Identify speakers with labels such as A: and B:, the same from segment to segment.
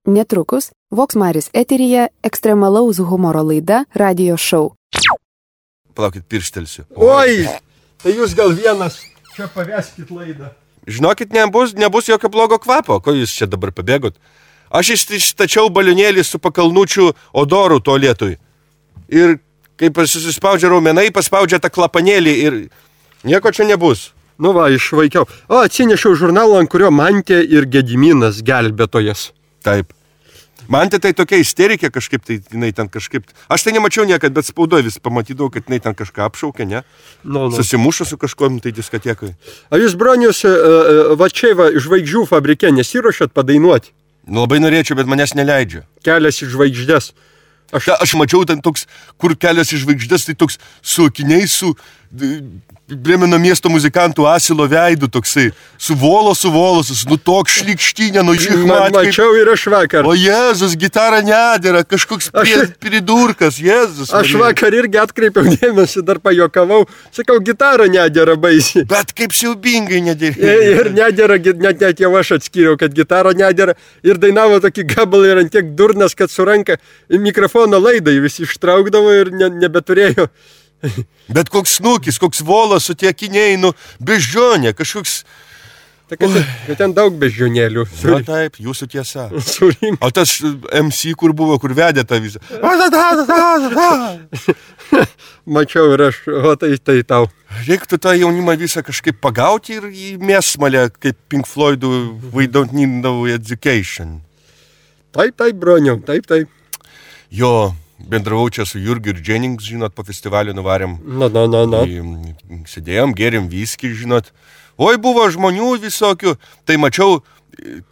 A: Netrukus Vox Maris eteryje ekstremalaus humoro laida Radio Show.
B: Palaukit, pirštelsiu.
C: Oi, tai jūs gal vienas čia paveskit laidą.
B: Žinokit, nebus jokio blogo kvapo. Ko jūs čia dabar pabėgot? Aš išstačiau balionėlį su pakalnučių odoru tualetui. Ir kai susispaudžia raumenai, paspaudžia tą klapanėlį ir nieko čia nebus.
C: Nu va, išvaikiau. O, atsinešiau žurnalą, ant kurio Mantė ir Gediminas gelbėtojas.
B: Taip. Mantė tai tokia isterikė kažkaip, tai jinai ten kažkaip... Aš tai nemačiau niekad, bet spaudoj vis pamatydavau, kad jinai ten kažką apšaukė, ne? Susimušo su kažkuom tai diskotekai.
C: A jūs, bronius, va čia va, žvaigždžių fabrike nesiruošiat padainuoti?
B: Nu, labai norėčiau, bet manęs neleidžia.
C: Kelias į žvaigždės.
B: Aš mačiau ten toks, kur kelias į žvaigždės, tai toks su akiniais, su Brėmeno miesto muzikantų asilo veidu, toksai, su volos, nu toks šlikštinė, nu žihmat.
C: Mačiau ir aš vakar.
B: O Jėzus, gitara nedėra, kažkoks pridurkas, Jėzus.
C: Aš vakar irgi atkreipiau dėmesį, dar pajokavau, sakau, gitara nedėra baisiai.
B: Bet kaip siaubingai nedėra.
C: Ir nedėra, net jau aš atskyriau, kad gitara nedėra. Ir dainavo tokį gabalą ir ant tiek durnas, kad su ranka mikrofono laidai visi ištraukdavo ir nebeturėjo.
B: Bet koks snukis, koks volas su tie akiniai, nu, beždžionė, kažkoks...
C: Bet ten daug beždžionėlių.
B: Na taip, jūsų tiesa.
C: Surink.
B: O tas MC, kur buvo, kur vedė tą visą.
C: Mačiau ir aš, o tai tau.
B: Reiktų tą jaunimą visą kažkaip pagauti ir į mėsmalę, kaip Pink Floydų We Don't Need No Education.
C: Taip, broniau, taip.
B: Jo... Bendravau čia su Jurgiu ir Jennings, žinot, po festivalį nuvarėm.
C: Na.
B: Sėdėjom, gėrėm viskį, žinot. Oi, buvo žmonių visokių. Tai mačiau,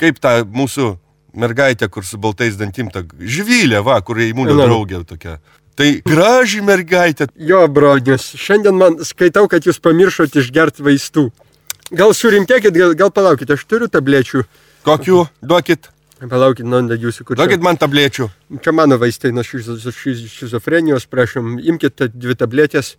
B: kaip ta mūsų mergaitė, kur su baltais dantim, ta Žvilė, va, kur įmūnio draugė tokia. Tai graži mergaitė.
C: Jo, bronius, šiandien man skaitau, kad jūs pamiršot išgert vaistų. Gal surimtėkit, gal palaukit, aš turiu tablečių.
B: Kokių? Duokit.
C: Palaukit, jūsų kur čia.
B: Duokit man tablečių.
C: Čia mano vaistai nuo šizofrenijos, prašom, imkit 2 tabletės.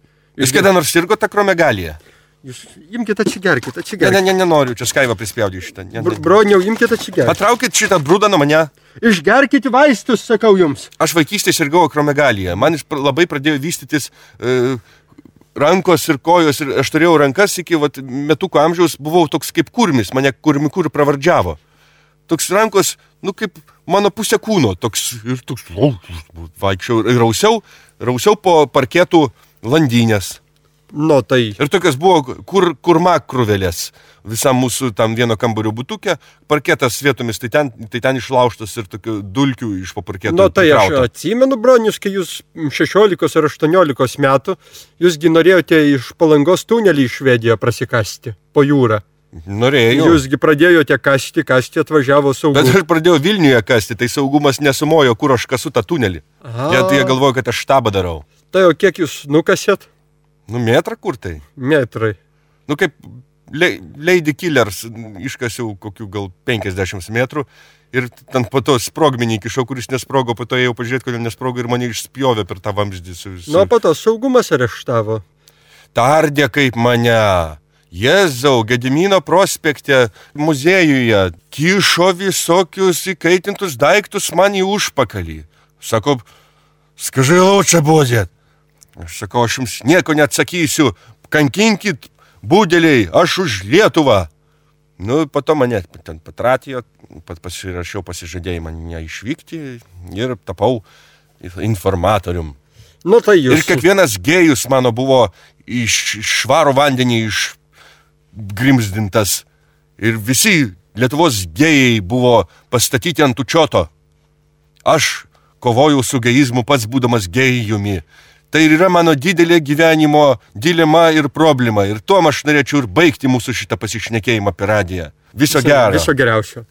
B: Jūs kada nors sirgo tą kromegaliją?
C: Jūs imkit atsigerkit.
B: Nenoriu, čia Skaivą prispaudžiu šitą.
C: Broniau, imkit atsigerkit.
B: Patraukit šitą brūdą nuo mane.
C: Išgerkit vaistus, sakau jums.
B: Aš vaikystėje sirgau kromegaliją. Man labai pradėjo vystytis rankos ir kojos ir aš turėjau rankas iki metukų amžiaus, buvau toks kaip kurmis, mane kur pravardžiavo. Toks rankos, nu kaip mano pusė kūno, toks vaikščiau ir rausiau po parketų landynės.
C: Nu tai.
B: Ir tokios buvo kurmakruvelės visam mūsų tam vieno kambario butuke, parketas vietomis, tai ten išlaužtas ir tokių dulkių iš po parketų.
C: Nu tai aš atsimenu, bronius, kai jūs 16 ar 18 metų, jūsgi norėjote iš Palangos tunelį į Švediją prasikasti po jūrą.
B: Norėjau.
C: Jūsgi pradėjote kasti, atvažiavo saugumas.
B: Bet aš pradėjau Vilniuje kasti, tai saugumas nesumojo, kur aš kasu tą tunelį. Jie galvoja, kad aš štabą darau.
C: Tai o kiek jūs nukasėt?
B: Nu, metrą kur tai?
C: Metrai.
B: Nu, kaip Lady Killers iškasiau kokių gal 50 metrų ir ten po to sprogmenį įkišau, kuris nesprogo, po to ėjau pažiūrėti, kodėl nesprogo ir mane išspjovė per tą vamzdį.
C: Nu, po to saugumas areštavo.
B: Tardė kaip mane. Jėzau, Gedimino prospekte muziejuje kišo visokius įkaitintus daiktus man į užpakalį. Sako, skažai laučia bodėt. Aš sakau, aš jums nieko neatsakysiu, kankinkit, būdeliai, aš už Lietuvą. Nu, po to mane ten patratijo, pasirašiau pasižadėjimą neišvykti ir tapau informatorium.
C: Nu, tai jūs.
B: Ir kiekvienas gėjus mano buvo iš švaro vandenį grimzdintas ir visi Lietuvos gėjai buvo pastatyti ant učioto. Aš kovojau su gėjizmu pats būdamas gėjumi. Tai yra mano didelė gyvenimo dilema ir problema. Ir tuom aš norėčiau ir baigti mūsų šitą pasišnekėjimą per radiją. Viso gero.
C: Viso geriausio.